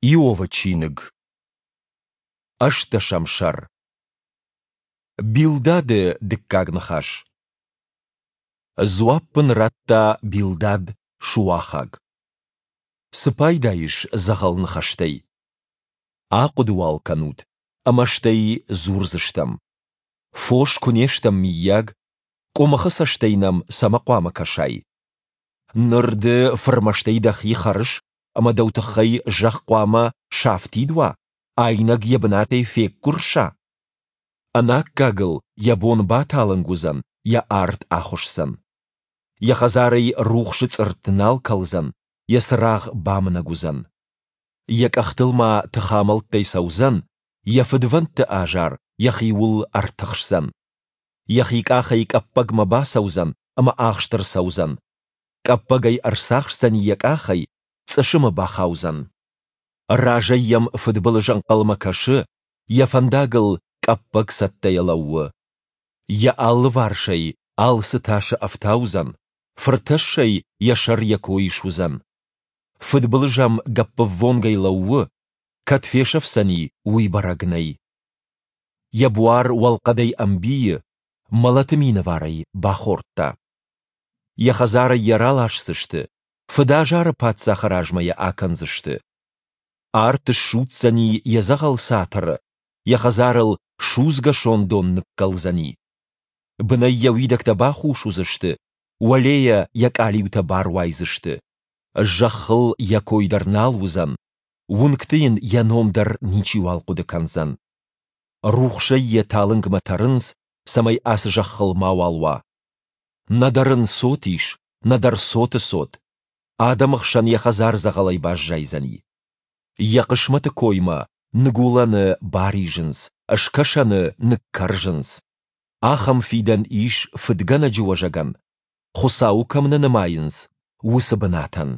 Иовы чиныг. Ӕстдӕсӕм сӕр. Билдады дыккаг ныхас. Дзуапп ын радта Билдад Шуахаг. Цы пайда ис дзӕгъӕл ныхӕстӕй? Ахъуыды уал кӕнут, ӕмӕ стӕй дзурдзыстӕм. Фос куы не стӕм, мыййаг, къуымыхы цӕстӕй нӕм цӕмӕ хъуамӕ кӕсай? Ныр ды фырмӕстӕй дӕхи хӕрыс ӕмӕ дӕу тыххӕй зӕхх хъуамӕ сафтид уа, айнӕг йӕ бынатӕй феггуырса? Ӕнаккагыл йӕ бон баталынг уыдзӕн, йӕ арт ахуысдзӕн. Йӕ хӕдзарӕй рухсы цъыртт нал кӕлдзӕн, йӕ цырагъ бамынӕг уыдзӕн. Йӕ къӕхтыл ма тыхамӕлттӕй цӕудзӕн, йӕ фыдвӕндты азар йӕхиуыл ӕртыхсдзӕн. Йӕхи къахӕй къӕппӕгмӕ бацӕудзӕн ӕмӕ ахст ӕрцӕудзӕн. Къӕппӕг ӕй ӕрцахсдзӕни йӕ къахӕй, цъысымы бахаудзӕн. Разӕй йӕм фыдбылыз ӕнхъӕлмӕ кӕсы, йӕ фӕндагыл къӕппӕг цӕттӕйӕ лӕууы. Йӕ алыварсӕй алцы тасы ӕфтаудзӕн, фыртӕссӕй йӕ сӕр йӕ кой суыдзӕн. Фыдбылыз ӕм гӕппӕввонгӕй лӕууы, кӕд фесӕфдзӕни, уый бӕрӕг нӕй. Йӕ буар уӕлхъӕдӕй ӕмбийы, мӕлӕты минӕвар ӕй бахордта. Йӕ хӕдзарӕй йӕ раласдзысты, фыдазары паддзахы размӕ йӕ акӕндзысты. Арт ссудздзӕни йӕ дзӕгъӕл цатыры, йӕ хӕдзарыл судзгӕ сондон ныккӕлдзӕни. Бынӕй йӕ уидӕгтӕ бахус уыдзысты, уӕлейӕ йӕ къалиутӕ баруайдзысты. Зӕххыл йӕ кой дӕр нал уыдзӕн, уынгты йын йӕ ном дӕр ничиуал хъуыды кӕндзӕн. Рухсӕй йӕ талынгмӕ тӕрынц, цӕмӕй ацы зӕххыл мауал уа. Нӕдӕр ын цот ис, нӕдӕр цоты цот. Адӕмы хсӕн йӕ хӕдзар дзӕгъӕлӕй баззайдзӕни. Йӕ хъысмӕты коймӕ ныгуылӕны баризынц, скӕсӕны ныккӕрзынц. Ахӕм фидӕн ис фыдгӕнӕджы уӕзӕгӕн, Хуыцауы кӕм нӕ нымайынц, уыцы бынатӕн.